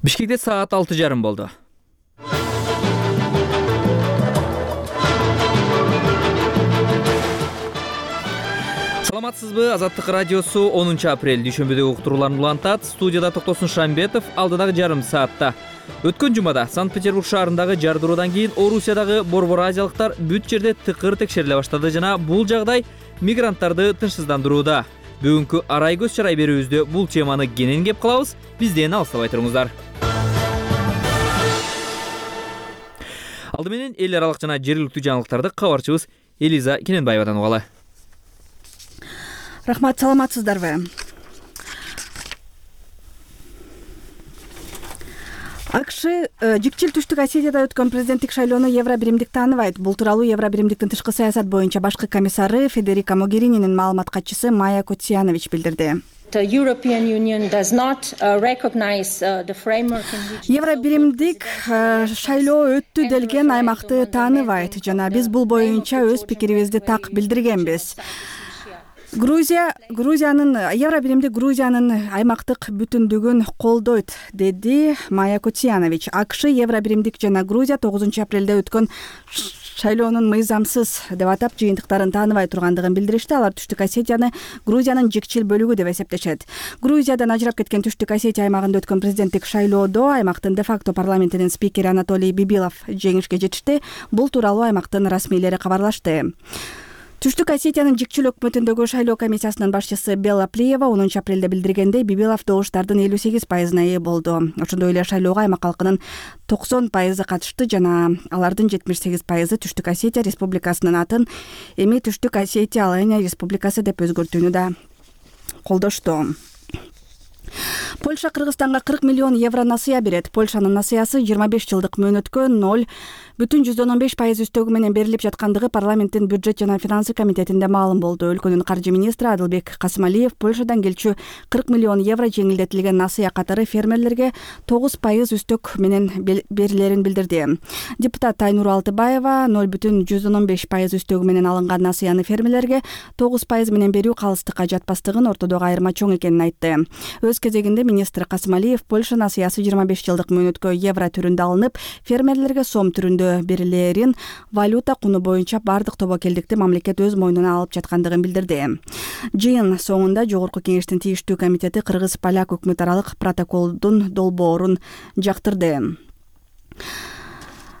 Бишкекте саат 6:30 болду. Саламатсызбы? Азаттык радиосу 10 апрель дүйшөмбүдө уктурууларын улантат. Студияда Токтосун Шамбетов. Алдыдагы жарым саатта өткөн жумада Санкт-Петербург шаарындагы жардыруудан кийин Орусиядагы борбор азиялыктар бүт жерде тыкыр текшериле баштады жана бул жагдай мигранттарды тынчсыздандырууда. Бүгүнкү арай көз чарай берүүбүздө бул теманы кенен кеп кылабыз. Бизден алыстабай туруңуздар. Алды менен эл аралык жана жергиликтүү жаңылыктарды кабарчыбыз Элиза Кененбаевадан угалы. Рахмат, саламатсыздарбы? АКШ жикчил Түштүк Осетияда өткөн президенттик шайлоону Евробиримдик тааныбайт. Бул тууралуу Евробиримдиктин тышкы саясат боюнча башкы комиссары Федерика Могерининин маалымат катчысы Майя Котсиянович билдирди. Евробиримдик шайлоо өттү делген аймакты тааныбайт жана биз бул боюнча өз пикирибизди так билдиргенбиз. Евробиримдик Грузиянын аймактык бүтүндүгүн колдойт, деди Майя Котсиянович. АКШ Евробиримдик жана Грузия 9 апрелде өткөн шайлоонун мыйзамсыз деп атап жыйынтыктарын тааныбай тургандыгын билдиришти. Алар Түштүк Осетияны Грузиянын жикчил бөлүгү деп эсептешет. Грузиядан ажырап кеткен Түштүк Осетия аймагында өткөн президенттик шайлоодо аймактын де-факто парламентинин спикери Анатолий Бибилов жеңишке жетишти. Бул тууралуу аймактын расмийлери кабарлашты. Түштүк Осетиянын жикчил өкмөтүндөгү шайлоо комиссиясынын башчысы Белла Плиева 10 апрелде билдиргендей, Бибилов добуштардын 58%-на ээ болду. Ошондой эле шайлоого аймак калкынын 90% катышты жана алардын 78% Түштүк Осетия республикасынын атын эми Түштүк Осетия Алания республикасы деп өзгөртүүнү да колдошту. Польша Кыргызстанга 40 миллион евро насыя берет. Польшанын насыясы 25 жылдык мөөнөткө 0,15% үстөгү менен берилип жаткандыгы парламенттин бюджет жана финансы комитетинде маалым болду. Өлкөнүн каржы министри Адылбек Касымалиев Польшадан келчү 40 миллион евро жеңилдетилген насыя катары фермерлерге 9% үстөк менен берилерин билдирди. Депутат Айнур Алтыбаева 0,15% үстөгү менен алынган насыяны фермерлерге 9% менен берүү калыстыкка жатпастыгын, ортодогу айырма чоң экенин айтты. Өз кезегинде министр Касымалиев Польша насыясы 25 жылдык мөөнөткө евро түрүндө алынып, фермерлерге сом түрүндө берилерин валюта куну боюнча бардык тобокелдикти мамлекет өз мойнуна алып жаткандыгын билдирди. Жыйын соңунда Жогорку кеңештин тийиштүү комитети кыргыз-поляк өкмөт аралык протоколдун долбоорун жактырды.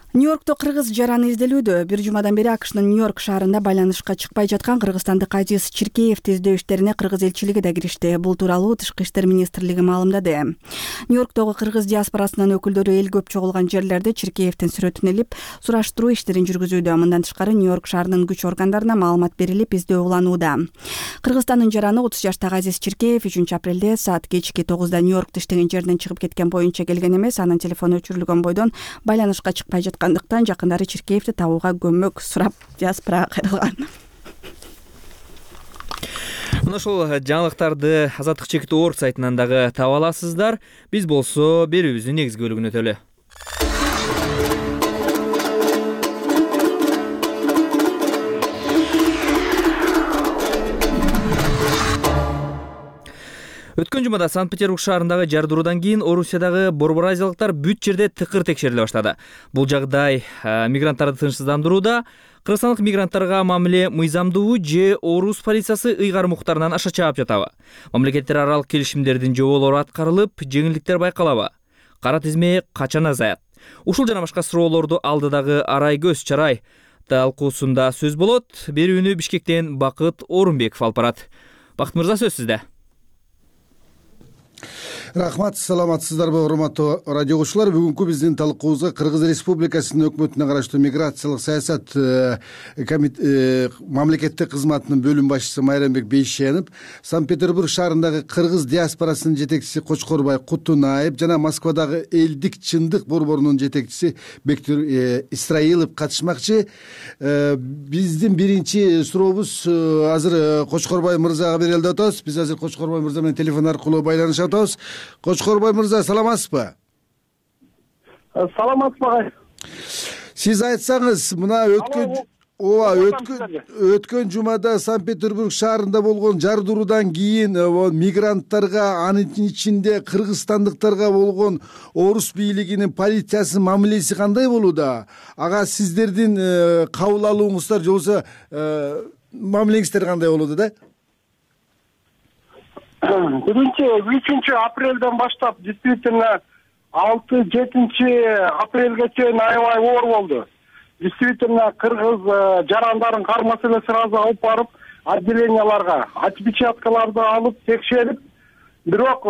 Нью-Йоркто кыргыз жараны изделүүдө. Бир жумадан бери АКШнын Нью-Йорк шаарында байланышка чыкпай жаткан кыргызстандык Азиз Чиркеевди издөө иштерине кыргыз элчилиги да киришти. Бул тууралуу Тышкы иштер министрлиги маалымдады. Нью-Йорктогу кыргыз диаспорасынын өкүлдөрү эл көп чогулган жерлерде Чиркеевдин сүрөтүн илип, сураштыруу иштерин жүргүзүүдө. Мындан тышкары Нью-Йорк шаарынын күч органдарына маалымат берилип, издөө уланууда. Кыргызстандын жараны 30 жаштагы Азиз Чиркеев 3 апрелде саат кечки 9-да Нью-Йоркто иштеген жеринен чыгып кеткен боюнча келген эмес. Анын телефону өчүрүлгөн бойдон байланышка чыкпай жаткандыктан жакындары Чиркеевди табууга көмөк сурап диаспорага кайрылган. Мына ошол жаңылыктарды Азаттык чекит орг сайтынан дагы таба аласыздар. Биз болсо берүүбүздүн негизги бөлүгүнө өтөлү. Өткөн жумада Санкт-Петербург шаарындагы жардыруудан кийин Орусиядагы борбор азиялыктар бүт жерде тыкыр текшериле баштады. Бул жагдай мигранттарды тынчсыздандырууда. Кыргызстандык мигранттарга мамиле мыйзамдуубу же Орус полициясы ыйгарым укуктарынан аша чаап жатабы? Мамлекеттер аралык келишимдердин жоболору аткарылып, жеңилдиктер байкалабы? Кара тизме качан азаят? Ушул жана башка суроолорду алдыдагы арай көз чарай талкуусунда сөз болот. Берүүнү Бишкектен Бакыт Орунбеков алып барат. Бакыт мырза, сөз сизде. Рахмат, саламатсыздарбы урматтуу радио угуучулар. Бүгүнкү биздин талкуубузга Кыргыз Республикасынын өкмөтүнө караштуу миграциялык саясат мамлекеттик кызматынын бөлүм башчысы Майрамбек Бейшенов, Санкт-Петербург шаарындагы кыргыз диаспорасынын жетекчиси Кочкорбай Кутунаев жана Москвадагы элдик чындык борборунун жетекчиси Бектур Исраилов катышмакчы. Биздин биринчи сурообуз азыр Кочкорбай мырзага берели деп атабыз. Биз азыр Кочкорбай мырза менен телефон аркылуу байланышып атабыз. Кочкорбай мырза, саламатсызбы? Саламатсызбы? Сиз айтсаңыз, мына ооба, өткөн жумада Санкт-Петербург шаарында болгон жардыруудан кийин мигранттарга, анын ичинде кыргызстандыктарга болгон орус бийлигинин полициясынын мамилеси кандай болууда? Ага сиздердин кабыл алууңуздар же болбосо мамилеңиздер кандай болууда да? 1-3 апрелден баштап действительно 6-7 апрелге чейин аябай оор болду. Действительно кыргыз жарандарын кар маселеси сразу алып барып отделенияларга отпечаткаларды алып текшерип, бирок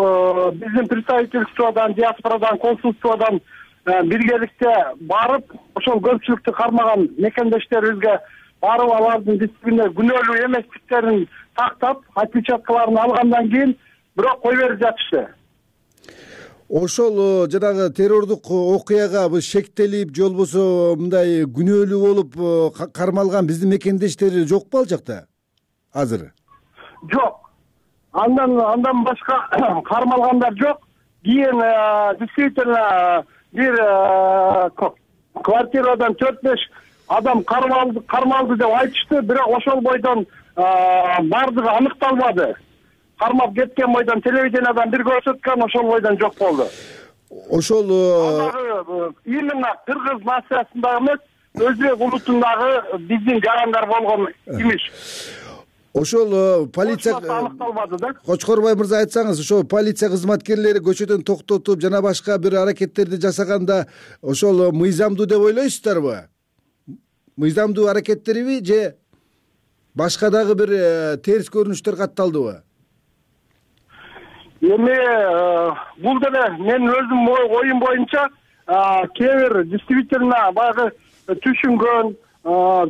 биздин представительстводан, диаспорадан, консульстводан биргеликте барып ошол көпчүлүктү кармаган мекендештерибизге барып алардын дисциплине күнөөлүү эместиктерин тактап отпечаткаларын алгандан кийин бирок кой берип жатышты. Ошол жанагы террордук окуяга шектелип же болбосо мындай күнөөлүү болуп кармалган биздин мекендештер жокпу ал жакта азыр? Жок. Андан башка кармалгандар жок. Кийин действительно бир квартирадан 4-5 адам кармалды деп айтышты, бирок ошол бойдон бардыгы аныкталбады. Кармап кеткен бойдон телевидениядан бир көрсөткөн, ошол бойдон жок болду. Ошол именно кыргыз нациясындагы эмес, өзбек улутундагы биздин жарандар болгон имиш. Ошол полиция аныкталбады да. Кочкорбай мырза, айтсаңыз, ошол полиция кызматкерлери көчөдөн токтотуп жана башка бир аракеттерди жасаганда ошол мыйзамдуу деп ойлойсуздарбы? Мыйзамдуу аракеттериби же башка дагы бир терс көрүнүштөр катталдыбы? Эми бул деле менин өзүм оюм боюнча кээ бир действительно баягы түшүнгөн,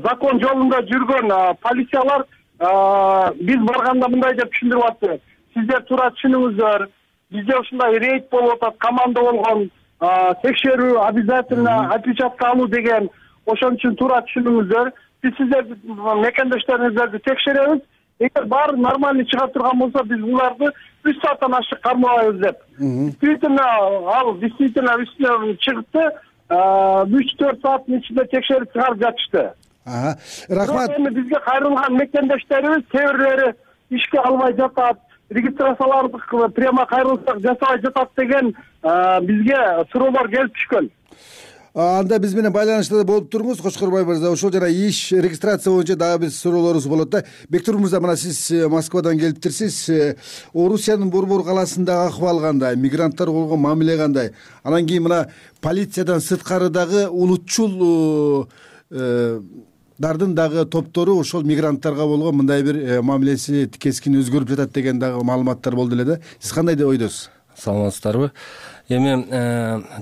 закон жолунда жүргөн полициялар биз барганда мындай деп түшүндүрүп атты. Сиздер туура түшүнүңүздөр, бизде ушундай рейд болуп атат, команда болгон, текшерүү обязательно, отпечатка алуу деген, ошон үчүн туура түшүнүңүздөр. Биз сиздерди, мекендештериңиздерди текшеребиз. Эгер баары нормальный чыга турган болсо, биз буларды 3 сааттан ашык кармабайбыз деп. Действительно, ал действительно үстүнө чыгытты. 3-4 сааттын ичинде текшерип чыгарып жатышты. Рахмат. Эми бизге кайрылган мекендештерибиз кээ бирлери ишке албай жатат, регистрацияларды прямо кайрылсак жасабай жатат деген бизге суроолор келип түшкөн. Анда биз менен байланышта болуп туруңуз, Кочкорбай мырза. Ошол жана иш регистрация боюнча дагы бир суроолорубуз болот да. Бектур мырза, мына сиз Москвадан келиптирсиз. Орусиянын Борбор калаасындагы акыбал кандай? Мигранттар болгон мамиле кандай? Анан кийин мына полициядан сырткары дагы улутчул дардын дагы топтору ошол мигранттарга болгон мындай бир мамилеси кескин өзгөрүп жатат деген дагы маалыматтар болду эле да. Сиз кандай деп ойдосуз? Саламатсыздарбы? Эми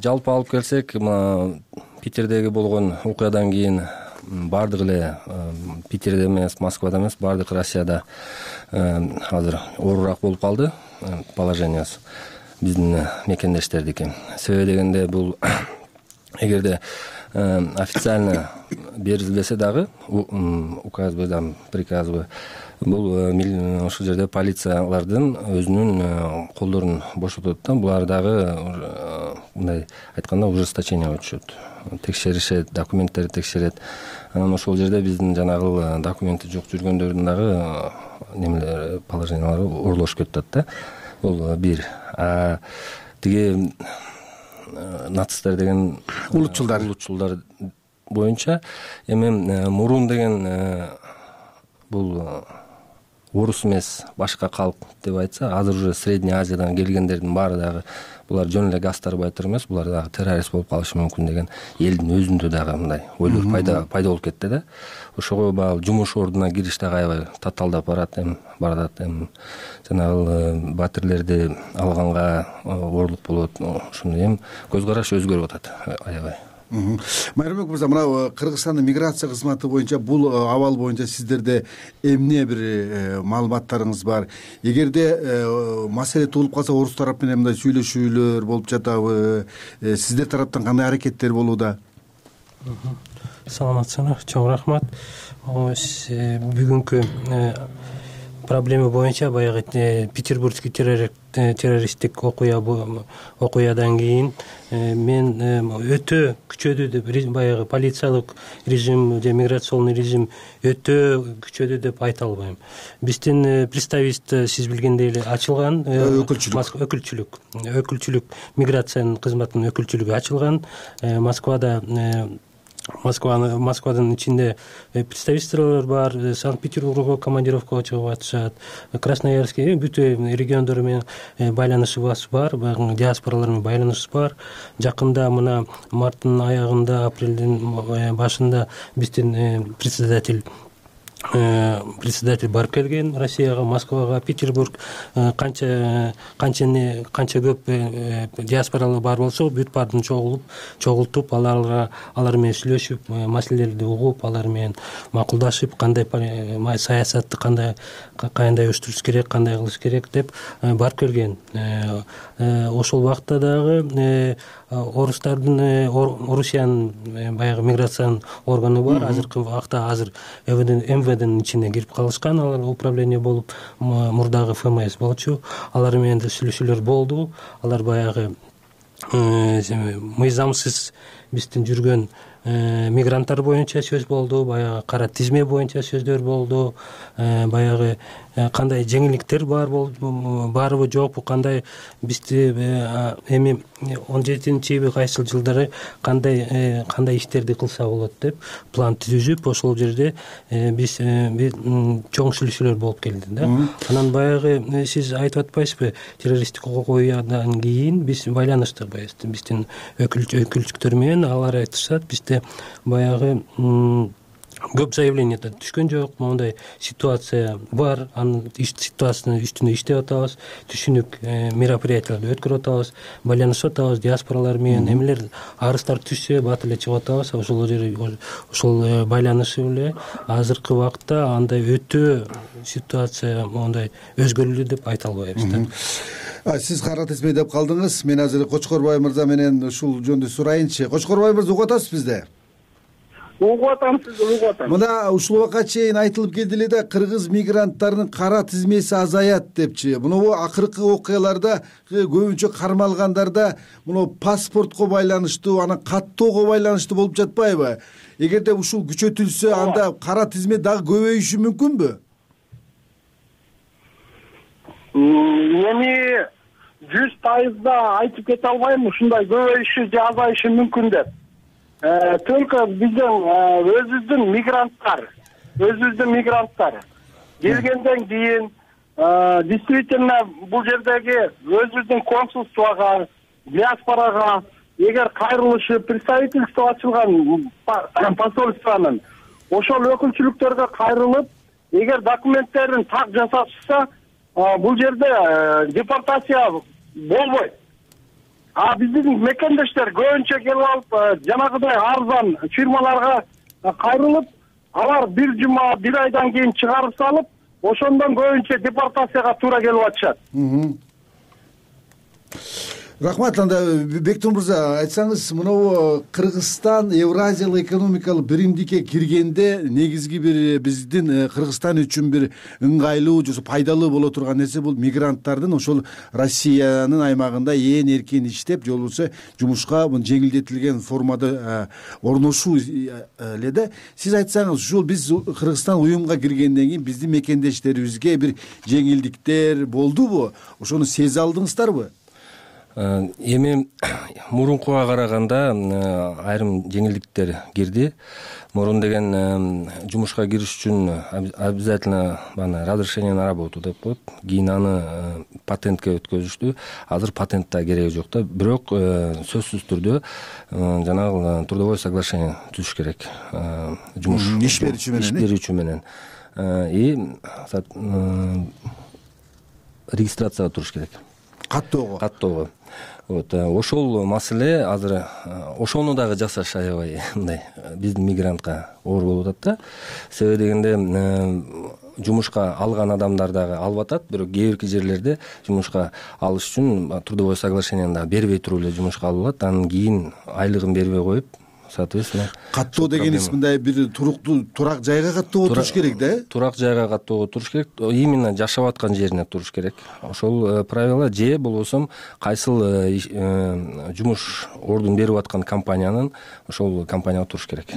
жалпы алып келсек, Питердеги болгон окуядан кийин бардык эле Питерде эмес, Москвада эмес, бардык Россияда азыр оорураак болуп калды положениясы биздин мекендештердики. Себеби дегенде бул эгерде официально берилбесе дагы указбы, приказбы, бул ошол жерде полициялардын өзүнүн колдорун бошотот да. Булар дагы мындай айтканда ужесточение өтүшөт, текшеришет, документтерди текшерет. Анан ошол жерде биздин жанагы документи жок жүргөндөрдүн дагы немелери, положениялары орулошуп кетет да. Бул бир. Тиги нацисттер деген улутчулдар боюнча эми мурун деген бул орус эмес, башка калк деп айтса, азыр уже Средний Азиядан келгендердин баары дагы булар жөн эле газ тарбайтыр эмес, булар дагы террорист болуп калышы мүмкүн деген элдин өзүндө дагы мындай ойлор пайда болуп кетти да. Ошого баягы жумуш ордуна кириш дагы аябай татаалдап барат, эми жанагы батирлерди алганга ooрлук болот. Ошондой көз караш өзгөрүп атат аябай. Майрамбек мырза, мына Кыргызстандын миграция кызматы боюнча бул абал боюнча сиздерде эмне бир маалыматтарыңыз бар? Эгерде маселе туулуп калса, орус тарап менен мындай сүйлөшүүлөр болуп жатабы? Сиздер тараптан кандай аракеттер болууда? Саламатсыздар, чоң рахмат. Бүгүнкү проблема боюнча баягы петербургский террористтик окуядан кийин мен өтө күчөдү деп баягы полициялык режим же миграционный режим өтө күчөдү деп айта албайм. Биздин представительство сиз билгендей эле ачылган, өкүлчүлүк миграциянын кызматынын өкүлчүлүгү ачылган. Москвадын ичинде представительстволор бар, Санкт-Петербургга командировкага чыгып атышат, Красноярский бүт региондор менен байланышыбыз бар, диаспоралар менен байланышыбыз бар. Жакында мына марттын аягында, апрелдин башында биздин председатель барып келген Россияга, Москвага, Петербург. Канча көп диаспоралар бар болсо бүт баарын чогултуп, алар менен сүйлөшүп, маселелерди угуп, алар менен макулдашып, кандай саясатты кандай өстүрүш керек, кандай кылыш керек деп барып келген. Ошол убакта дагы Орусиянын баягы миграциянын органы бар. Азыркы убакта МВДнын ичине кирип калышкан, алар управление болуп, мурдагы ФМС болчу. Алар менен да сүйлөшүүлөр болду. Алар баягы мыйзамсыз биздин жүргөн мигранттар боюнча сөз болду, баягы кара тизме боюнча сөздөр болду, баягы кандай жеңилдиктер барбы жокпу, кандай бизди эми 17-июль кайсыл жылдары кандай иштерди кылса болот деп план түзүп, ошол жерде биз чоң сүйлөшүүлөр болуп келди да. Анан баягы сиз айтып атпайсызбы, террористтик окуядан кийин биз байланыштык биздин өкүлчүктөр менен. Алар айтышат, бизде баягы көп заявление түшкөн жок, моундай ситуация бар, анын ситуациясынын үстүндө иштеп атабыз, түшүнүк мероприятияларды өткөрүп атабыз, байланышып атабыз диаспоралар менен. Эмелер арыздар түшсө бат эле чыгып атабыз. Ошол байланышып эле азыркы убакта андай өтө ситуация моундай өзгөрүлдү деп айта албайбыз да. Сиз кара тизме деп калдыңыз. Мен азыр Кочкорбай мырза менен ушул жөнүндө сурайынчы. Кочкорбай мырза, угуп атасыз бизде? Угуп атам, сиз угуп атам. Мына ушул убакка чейин айтылып келди эле да, кыргыз мигранттарынын кара тизмеси азаят депчи. Мына акыркы окуяларда көбүнчө кармалгандарда мына паспортко байланыштуу, анан каттоого байланыштуу болуп жатпайбы? Эгерде ушул күчөтүлсө, анда кара тизме дагы көбөйүшү мүмкүнбү? Эми 100% айтып кете албайм, ушундай көбөйүшү же азайышы мүмкүн деп. Только биздин өзүбүздүн мигранттар келгенден кийин действительно бул жердеги өзүбүздүн консульствого, диаспорага эгер кайрылышып, представительство ачылган посольствонун ошол өкүлчүлүктөргө кайрылып, эгер документтерин так жасашса, бул жерде депортация болбойт. Биздин мекендештер көбүнчө келип алып, жанагыдай арзан фирмаларга кайрылып, алар бир жума, бир айдан кийин чыгарып салып, ошондон көбүнчө депортацияга туура келип атышат. Рахмат. Анда Бектур мырза, айтсаңыз, мынау Кыргызстан Евразиялык экономикалык биримдикке киргенде негизги бир биздин Кыргызстан үчүн бир ыңгайлуу же пайдалуу боло турган нерсе бул мигранттардын ошол Россиянын аймагында эркин иштеп, же болбосо жумушка жеңилдетилген формада орношуу эле да. Сиз айтсаңыз, ушул биз Кыргызстан уюмга киргенден кийин биздин мекендештерибизге бир жеңилдиктер болдубу? Ошону сезе алдыңыздарбы? Эми мурункуга караганда айрым жеңилдиктер кирди. Мурун деген жумушка кириш үчүн обязательно разрешение на работу деп коет. Кийин аны патентке өткөзүштү. Азыр патент да кереги жок да. Бирок сөзсүз түрдө жанагы трудовое соглашение түзүш керек. Жумуш иш берүүчү менен. Регистрацияга туруш керек. Каттоого. Ошол маселе азыр ошону дагы жасаш аябай мындай биздин мигрантка оор болуп атат да. Себеби дегенде жумушка алган адамдар дагы алып атат, бирок кээ бирки жерлерде жумушка алыш үчүн трудовое соглашениени дагы бербей туруп эле жумушка алып алат. Анан кийин айлыгын бербей коюп, соответственно каттоо дегениңиз мындай бир туруктуу турак жайга каттоо туруш керек да, турак жайга каттоого туруш керек, именно жашап аткан жерине туруш керек. Ошол правила же болбосо кайсыл жумуш ордун берип аткан компаниянын ошол компанияга туруш керек.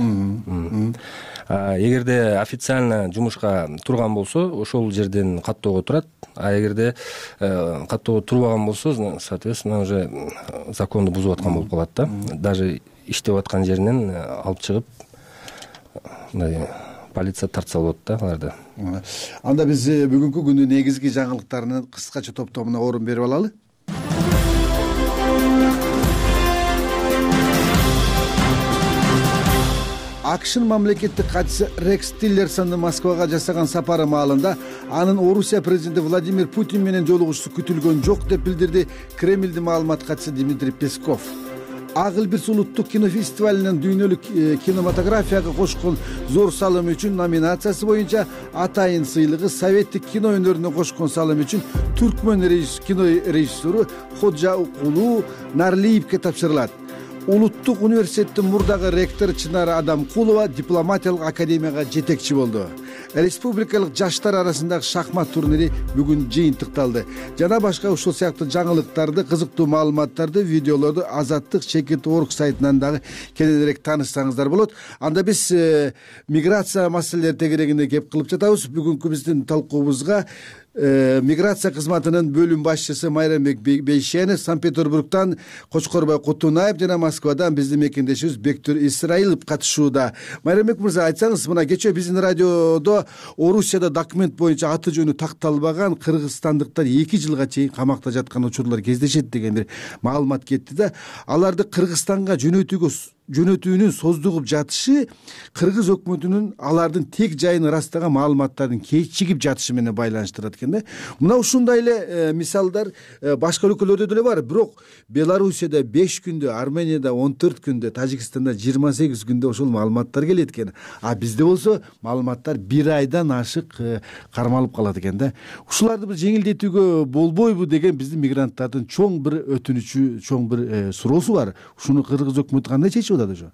Эгерде официально жумушка турган болсо ошол жерден каттоого турат, а эгерде каттоого турбаган болсо соответственно уже законду бузуп аткан болуп калат да. Даже иштеп аткан жеринен алып чыгып мындай полиция тартса болот да аларды. Анда биз бүгүнкү күндүн негизги жаңылыктарынын кыскача топтомуна орун берип алалы. АКШнын мамлекеттик катчысы Рекс Тиллерсондун Москвага жасаган сапары маалында анын Орусия президенти Владимир Путин менен жолугушуусу күтүлгөн жок деп билдирди Кремлдин маалымат катчысы Дмитрий Песков. Ак Илбирс улуттук кинофестивалинин дүйнөлүк кинематографияга кошкон зор салымы үчүн номинациясы боюнча атайын сыйлыгы советтик кино өнөрүнө кошкон салымы үчүн түркмөн кино режиссеру Ходжа Укулу Нарлиевке тапшырылат. Улуттук университеттин мурдагы ректору Чынар Адамкулова дипломатиялык академияга жетекчи болду. Республикалык жаштар арасындагы шахмат турнири бүгүн жыйынтыкталды. Жана башка ушул сыяктуу жаңылыктарды, кызыктуу маалыматтарды, видеолорду Азаттык Чекит.org сайтынан дагы кененирээк таанышсаңыздар болот. Анда биз миграция маселелери тегерегинде кеп кылып жатабыз. Бүгүнкү биздин талкуубузга миграция кызматынын бөлүм башчысы Майрамбек Бейшенов, Санкт-Петербургтан Кочкорбай Кутунаев жана Москвадан биздин мекендешибиз Бектур Исраилов катышууда. Майрамбек мырза, айтсаңыз, мына кечээ биздин радиодо Орусияда документ боюнча аты жөнү такталбаган кыргызстандыктар 2 жылга чейин камакта жаткан учурлар кездешет деген бир маалымат кетти да. Аларды Кыргызстанга жөнөтүүнүн создугуп жатышы кыргыз өкмөтүнүн алардын тек жайын ырастаган маалыматтардын кечигип жатышы менен байланыштырат экен да. Мына ушундай эле мисалдар башка өлкөлөрдө деле бар. Бирок Белоруссияда 5 күндө, Арменияда 14 күндө, Тажикстанда 28 күндө ошол маалыматтар келет экен. А бизде болсо маалыматтар 1 айдан ашык кармалып калат экен да. Ушуларды бир жеңилдетүүгө болбойбу деген биздин мигранттардын чоң бир өтүнүчү, чоң бир суроосу бар. Ушуну кыргыз өкмөтү кандай чечип атат ошо?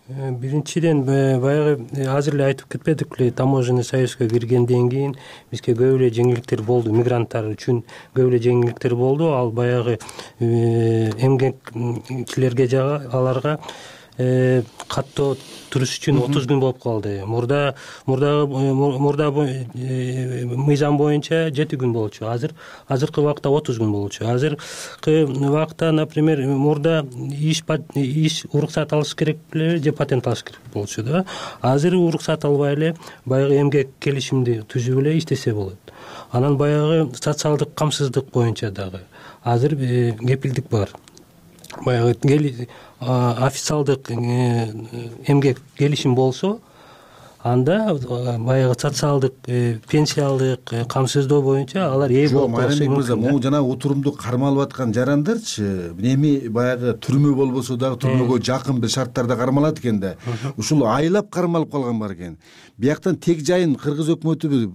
Биринчиден баягы азыр эле айтып кетпедикпи, таможенный союзга киргенден кийин бизге көп эле жеңилдиктер болду, мигранттар үчүн көп эле жеңилдиктер болду. Ал баягы эмгекчилерге аларга каттоо туруш үчүн 30 күн болуп калды. Мурда мыйзам боюнча 7 күн болчу. Азыркы убакта 30 күн болчу. Азыркы убакта, например, мурда иш уруксат алыш керек беле же патент алыш керек болчу да. Азыр уруксат албай эле баягы эмгек келишимди түзүп эле иштесе болот. Анан баягы социалдык камсыздык боюнча дагы азыр кепилдик бар. Баягы официалдык эмгек келишим болсо, анда баягы социалдык, пенсиялык камсыздоо боюнча алар ээ болуп калышы мүмкүн. Жок, Майрамбек мырза, могу жана отурумду кармалып аткан жарандарчы эми баягы түрмө болбосо дагы түрмөгө жакын бир шарттарда кармалат экен да. Ушул айлап кармалып калган бар экен. Бияктан тек жайын кыргыз өкмөтү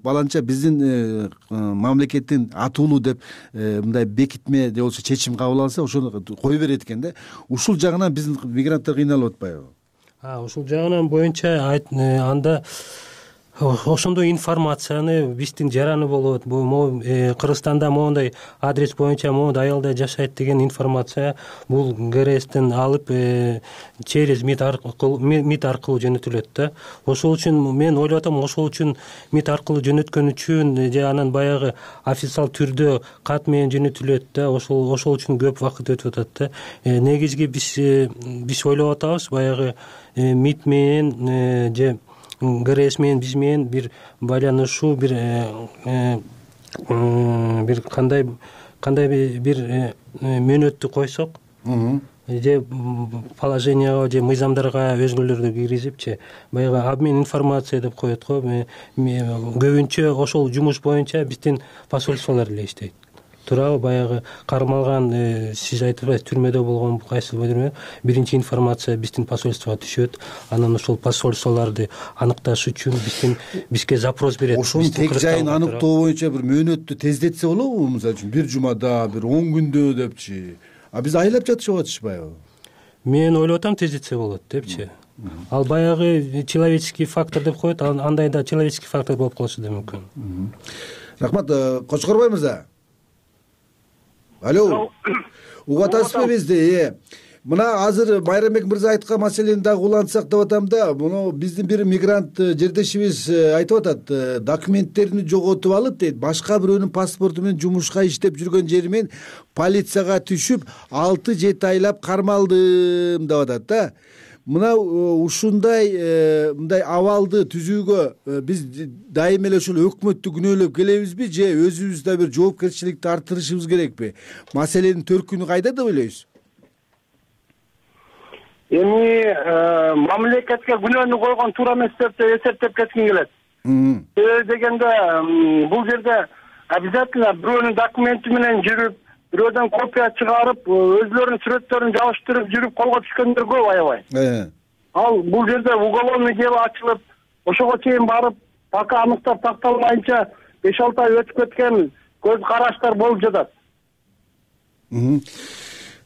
баланча биздин мамлекеттин атуулуу деп мындай бекитме же болбосо чечим кабыл алса, ошону кое берет экен да. Ушул жагынан биздин мигранттар кыйналып атпайбы? Ушул жагынан боюнча анда ошондой информацияны биздин жараны болот. Бул Кыргызстанда моундай адрес боюнча моундай аялдар жашайт деген информация бул ГРСтен алып через МИД аркылуу жөнөтүлөт да. Ошол үчүн мен ойлоп атам, ошол үчүн МИД аркылуу жөнөткөн үчүн же анан баягы официал түрдө кат менен жөнөтүлөт да. Ошол үчүн көп убакыт өтүп атат да. Негизги биз ойлоп атабыз, баягы МИД менен же ГРС менен биз менен бир байланышуу, бир кандай бир мөөнөттү койсок, же положенияга же мыйзамдарга өзгөрүүлөрдү киргизипчи, баягы обмен информация деп коет го. Көбүнчө ошол жумуш боюнча биздин посольстволор эле иштейт. Туурабы, баягы кармалган, сиз айтып түрмөдө болгон кайсы биринчи информация биздин посольствого түшөт. Анан ошол посольстволорду аныкташ үчүн бизге запрос берет. Ошонун тек жайын аныктоо боюнча бир мөөнөттү тездетсе болобу? Мисалы үчүн 1 жумада, бир 10 күндө депчи. А биз айлап жатышып атышпайбы? мен ойлоп атам тездетсе болот депчи. Ал баягы человеческий фактор деп коет, андай да человеческий фактор болуп калышы да мүмкүн. Рахмат. Кочкорбай мырза. Алло. Угуп атасызбы бизди? Мына азыр Майрамбек мырза айткан маселени дагы улантсак деп атам да, муну биздин бир мигрант жердешибиз айтып атат, документтерин жоготуп алып дейт, башка бирөөнүн паспорту менен жумушка иштеп жүргөн жери менен полицияга түшүп 6-7 айлап кармалдым деп атат да. Мына ушундай мындай абалды түзүүгө биз дайыма эле ушул өкмөттү күнөөлөп келебизби же өзүбүз да бир жоопкерчиликти арттырышыбыз керекпи? Маселенин төркүнү кайда деп ойлойсуз? Эми мамлекетке күнөөнү койгон туура эмес деп эсептеп кетким келет. Себеби дегенде бул жерде обязательно бирөөнүн документи менен жүрүп, бирөөдөн копия чыгарып, өзлөрүнүн сүрөттөрүн жабыштырып жүрүп колго түшкөндөр көп аябай. Ал бул жерде уголовный дело ачылып, ошого чейин барып, пока аныктап такталмайынча 5-6 ай өтүп кеткен көз караштар болуп жатат.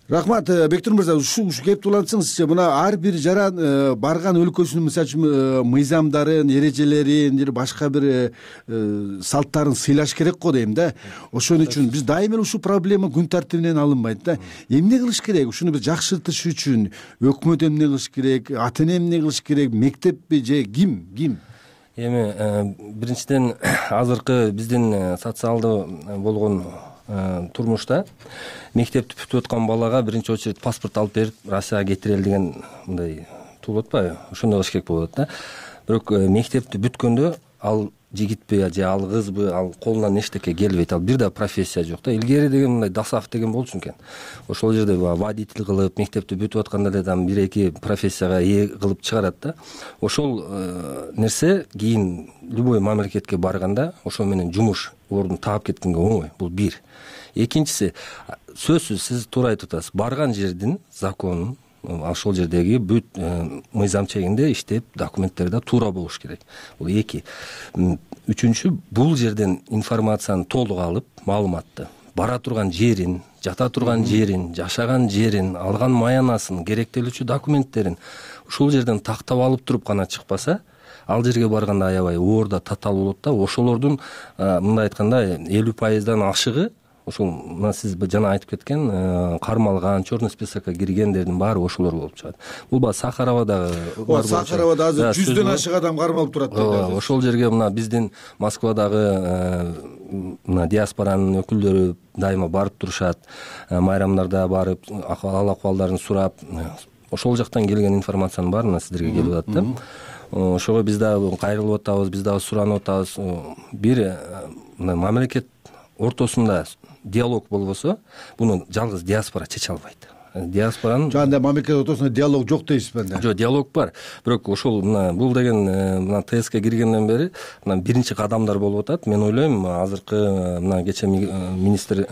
Рахмат, Бектур мырза, ушу кеп улантсаңызчы, мына ар бир жаран барган өлкөсүнүн мисалы үчүн мыйзамдарын, эрежелерин, же башка бир салттарын сыйлаш керек го дейм да. Ошон үчүн биз дайыма эле ушул проблема күн тартибинен алынбайт да. Эмне кылыш керек? Ушуну бир жакшыртыш үчүн өкмөт эмне кылыш керек, ата эне эмне кылыш керек, мектеппи же ким? Эми биринчиден азыркы биздин социалдуу болгон турмушта мектепти бүтүп аткан балага биринчи очередь паспорт алып берип Россияга кетирели деген мындай туулуп атпайбы? Ошондой кылыш керек болуп атат да. Бирок мектепти бүткөндө ал жигитпи же ал кызбы, ал колунан эчтеке келбейт, ал бир да профессия жок да. Илгери деген мындай Дасаев деген болчу экен. Ошол жерде водитель кылып, мектепти бүтүп атканда эле там 1-2 профессияга ээ кылып чыгарат да. Ошол нерсе кийин любой мамлекетке барганда ошол менен жумуш ордун таап кеткенге оңой. Бул бир. Экинчиси, сөзсүз сиз туура айтып атасыз. Барган жердин законун, ошол жердеги бүт мыйзам чегинде иштеп, документтер да туура болуш керек. Бул эки. Үчүнчү, бул жерден информацияны толук алып, маалыматты, бара турган жерин, жата турган жерин, жашаган жерин, алган маянасын, керектелүүчү документтерин ушул жерден тактап алып туруп гана чыкпаса, ал жерге барганда аябай оорда татаал болот да. Ошолордун мындай айтканда 50%дан ашыгы ошол мына сиз жана айтып кеткен кармалган, черный списокко киргендердин баары ошолор болуп чыгат. Бул баягы Сахаровадагы Сахаровада азыр 100дөн ашык адам кармалып турат. Ошол жерге мына биздин Москвадагы мына диаспоранын өкүлдөрү дайыма барып турушат. Майрамдарда барып ал-акыбалдарын сурап, ошол жактан келген информациянын баары мына сиздерге келип атат да. Ошого биз дагы кайрылып атабыз, биз дагы суранып атабыз. Бир мамлекет ортосунда диалог болбосо, буну жалгыз диаспора чече албайт. Диаспоранын жана мамлекет ортосунда диалог жок дейсизби анда? Жок, диалог бар. Бирок ошол бул деген мына ТСК киргенден бери мына биринчи кадамдар болуп атат. Мен ойлойм, азыркы мына кече министр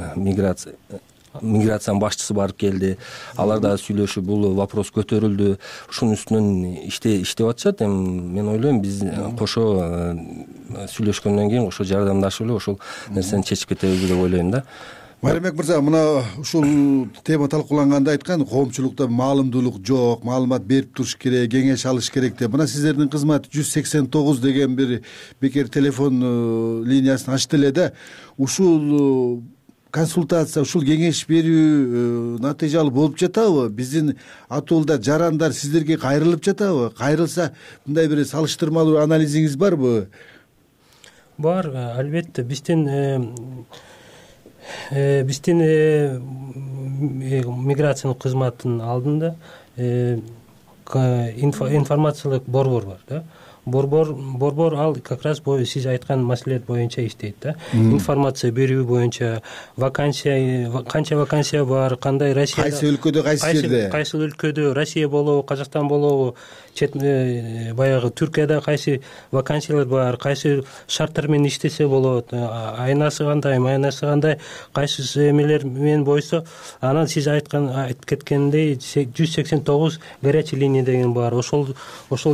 миграциянын башчысы барып келди. Алар дагы сүйлөшүп, бул вопрос көтөрүлдү. Ушунун үстүнөн иштеп атышат. Эми мен ойлойм, биз кошо сүйлөшкөндөн кийин кошо жардамдашып эле ошол нерсени чечип кетебиз деп ойлойм да. Майрамбек мырза, мына ушул тема талкууланганда айткан, коомчулукта маалымдуулук жок, маалымат берип туруш керек, кеңеш алыш керек деп. Мына сиздердин кызмат 189 деген бир бекер телефон линиясын ачты эле да. Ушул консультация, ушул кеңеш берүү натыйжалуу болуп жатабы? Биздин атуулда жарандар сиздерге кайрылып жатабы? Кайрылса, мындай бир салыштырмалуу анализиңиз барбы? Бар, албетте. Биздин миграциянын кызматынын алдында информациялык борбор бар да. Борбор ал как раз сиз айткан маселелер боюнча иштейт да. Информация берүү боюнча, канча вакансия бар, кандай Россияда, кайсы өлкөдө, кайсы жерде, кайсы өлкөдө, Россия болобу, Казакстан болобу, баягы Түркияда кайсы вакансиялар бар, кайсы шарттар менен иштесе болот, айнасы кандай, майнасы кандай, кайсы эмелер менен бойсо, анан сиз айтып кеткендей 189 горячий линия деген бар. Ошол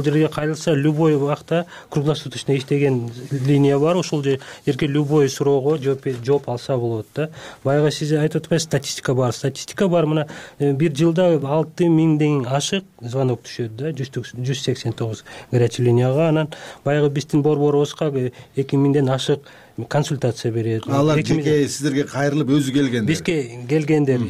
жерге кайрылса, любой убакта круглосуточно иштеген линия бар, ошол жерге любой суроого жооп алса болот да. Баягы сиз айтып атпайсызбы, статистика бар. Мына бир жылда 6000ден ашык звонок түшөт да, 189 горячий линияга. Анан баягы биздин борборубузга 2000ден ашык консультация берет. Алар жеке сиздерге кайрылып өзү келгендер. Бизге келгендер,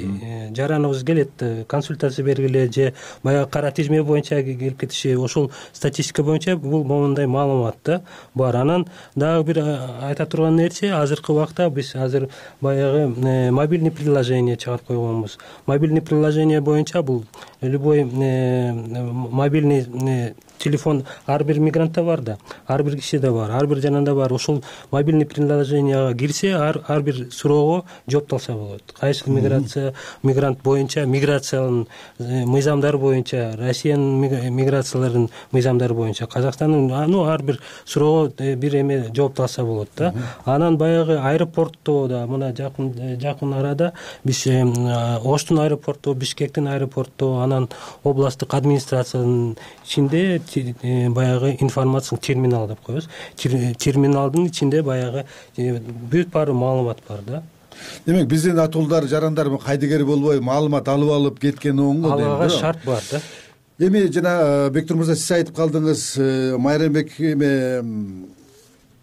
жараныбыз келет, консультация бергиле же баягы кара тизме боюнча келип кетиши, ошол статистика боюнча бул момундай маалымат да бар. Анан дагы бир айта турган нерсе, азыркы убакта биз азыр баягы мобильный приложение чыгарып койгонбуз. Мобильный приложение боюнча бул любой мобильный телефон ар бир мигрантта бар да, ар бир кишиде бар, ар бир жанында бар. Ошол мобильный приложенияга кирсе, ар бир суроого жооп алса болот. Кайсы мигрант боюнча, миграциянын мыйзамдары боюнча, Россиянын миграцияларынын мыйзамдары боюнча, Казакстандын ар бир суроого бир эме жооп алса болот да. Анан баягы аэропортто да, мына жакын арада биз Оштун аэропорту, Бишкектин аэропорту, анан областтык администрациянын ичинде баягы информациялык терминал деп коебуз. Терминалдын ичинде баягы бүт баары маалымат бар да. Демек биздин атуулдар, жарандар кайдыгер болбой маалымат алып кеткен оңго алага шарт бар да. Эми жана Бектур мырза, сиз айтып калдыңыз, Майрамбек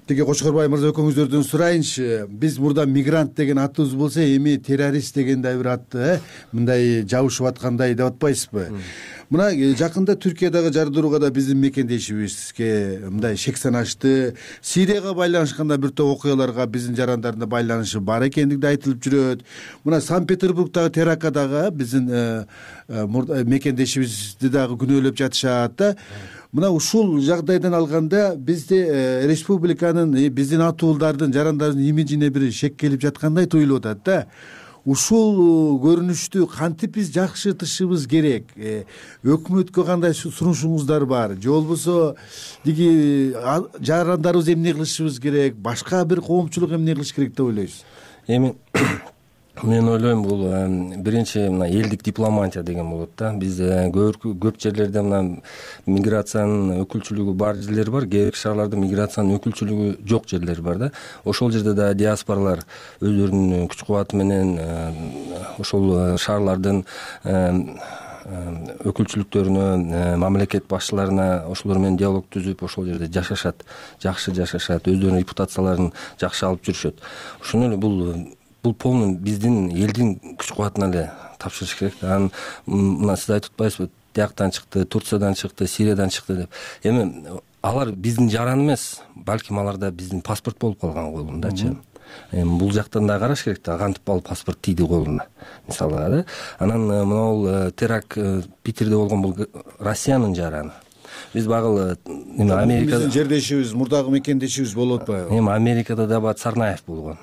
тиги Кочкорбай мырза экөөңүздөрдөн сурайынчы. Биз мурда мигрант деген атыбыз болсо, эми террорист дегендей бир атты, мындай жабышып аткандай деп атпайсызбы? Мына жакында Түркиядагы жардырууга да биздин мекендешибизге мындай шек санашты. Сирияга байланышканда бир топ окуяларга биздин жарандардын байланышы бар экендиги да айтылып жүрөт. Мына Санкт-Петербургдагы терактадагы биздин мекендешибизди дагы күнөөлөп жатышат да. Мына ушул жагдайдан алганда бизде республиканын, биздин атуулдардын, жарандардын имиджине бир шек келип жаткандай туюлуп атат да. Ушул көрүнүштү кантип биз жакшыртышыбыз керек? Өкмөткө кандай сунушуңуздар бар? Же болбосо диги жарандарыбыз эмне кылышыбыз керек? Башка бир коомчулук эмне кылыш керек деп ойлойсуз? Эми мен ойлойм, бул биринчи мына элдик дипломатия деген болот да. Биз көп жерлерде мына миграциянын өкүлчүлүгү бар жерлер бар, кээ бир шаарларда миграциянын өкүлчүлүгү жок жерлер бар да. Ошол жерде да диаспоралар өздөрүнүн күч кубаты менен ошол шаарлардын өкүлчүлүктөрүнө, мамлекет башчыларына ошолор менен диалог түзүп, ошол жерде жашашат, жакшы жашашат, өздөрүнүн репутацияларын жакшы алып жүрүшөт. Ошону эле бул полный биздин элдин күч кубатына эле тапшырыш керек. Анан мына сиз айтып атпайсызбы, тияктан чыкты, Турциядан чыкты, Сириядан чыкты деп. Эми алар биздин жаран эмес, балким аларда биздин паспорт болуп калган колундачы. Эми бул жактан да караш керек да, кантип ал паспорт тийди колуна, мисалы да. Анан мына теракт Питерде болгон бул Россиянын жараны. Биз багыл Америкада биздин жердешибиз, мурдагы мекендешибиз болуп атпайбы? Эми Америкада да Царнаев болгон.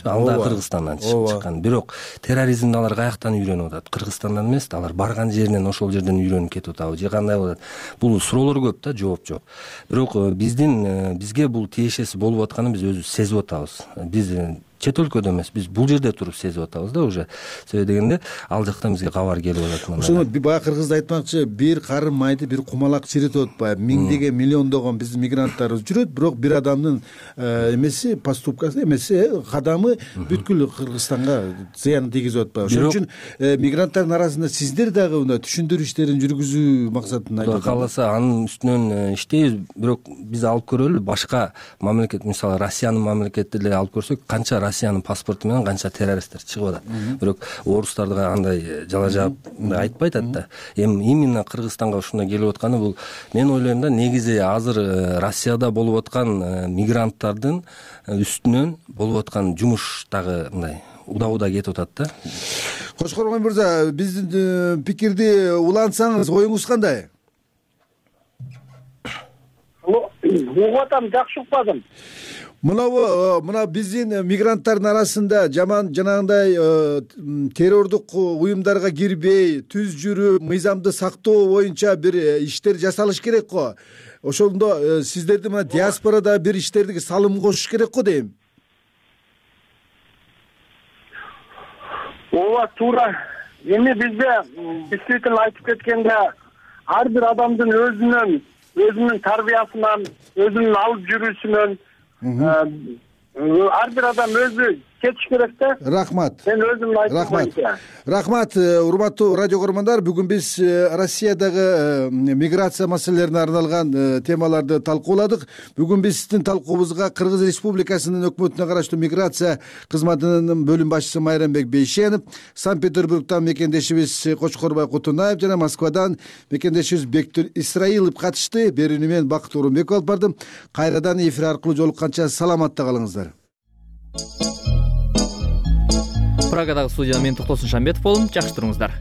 Ал да Кыргызстандан чыккан. Бирок терроризмди алар каяктан үйрөнүп атат? Кыргызстандан эмес, алар барган жеринен, ошол жерден үйрөнүп кетип атабы же кандай болот? Бул суроолор көп да, жооп жок. Бирок бизге бул тиешеси болуп атканын биз өзүбүз сезип атабыз. Биз чет өлкөдө эмес, биз бул жерде туруп сезип атабыз да уже. Себеби дегенде ал жактан бизге кабар келип атат. Ошону баягы кыргызда айтмакчы, бир карын майды бир кумалак чиритип атпайбы? Миңдеген, миллиондогон биздин мигранттарыбыз жүрөт, бирок бир адамдын эмеси, поступкасы эмеси, кадамы бүткүл Кыргызстанга зыян тийгизип атпайбы? Ошон үчүн мигранттардын арасында сиздер дагы мына түшүндүрүү иштерин жүргүзүү максатында Кудай кааласа анын үстүнөн иштейбиз. Бирок биз алып көрөлү, башка мамлекет, мисалы Россиянын мамлекети эле алып көрсөк, канча Россиянын паспорту менен канча террористтер чыгып атат. Бирок орустарга андай жала жаап айтпай атат да. Эми именно Кыргызстанга ушундай келип атканы бул, мен ойлойм да, негизи азыр Россияда болуп аткан мигранттардын үстүнөн болуп аткан жумуш дагы мындай уда кетип атат да. Кочкорбай мырза, биздин пикирди улантсаңыз, оюңуз кандай? Угуп атам, жакшы укпадым. Мына биздин мигранттардын арасында жаман жанагындай террордук уюмдарга кирбей, түз жүрүп, мыйзамды сактоо боюнча бир иштер жасалыш керек го. Ошондо сиздердин мына диаспорада бир иштерди салым кошуш керек го дейм. Ооба, туура. Эми бизде действительно айтып кеткенде ар бир адамдын өзүнүн өзүнүн тарбиясынан, өзүнүн алып жүрүүсүнөн ар бир адам өзү кетиш керек да. Рахмат. Мен өзүмдүн айтымым боюнча. Рахмат, урматтуу радио көрөрмандар. Бүгүн биз Россиядагы миграция маселелерине арналган темаларды талкууладык. Бүгүн биздин талкуубузга Кыргыз Республикасынын өкмөтүнө караштуу миграция кызматынын бөлүм башчысы Майрамбек Бейшенов, Санкт-Петербургтан мекендешибиз Кочкорбай Кутунаев жана Москвадан мекендешибиз Бектур Исраилов катышты. Берүүнү мен Бакыт Орунбеков алып бардым. Кайрадан эфир аркылуу жолукканча саламатта калыңыздар. Прагадагы студияда мен Токтосун Шамбетов болдум. Жакшы туруңуздар.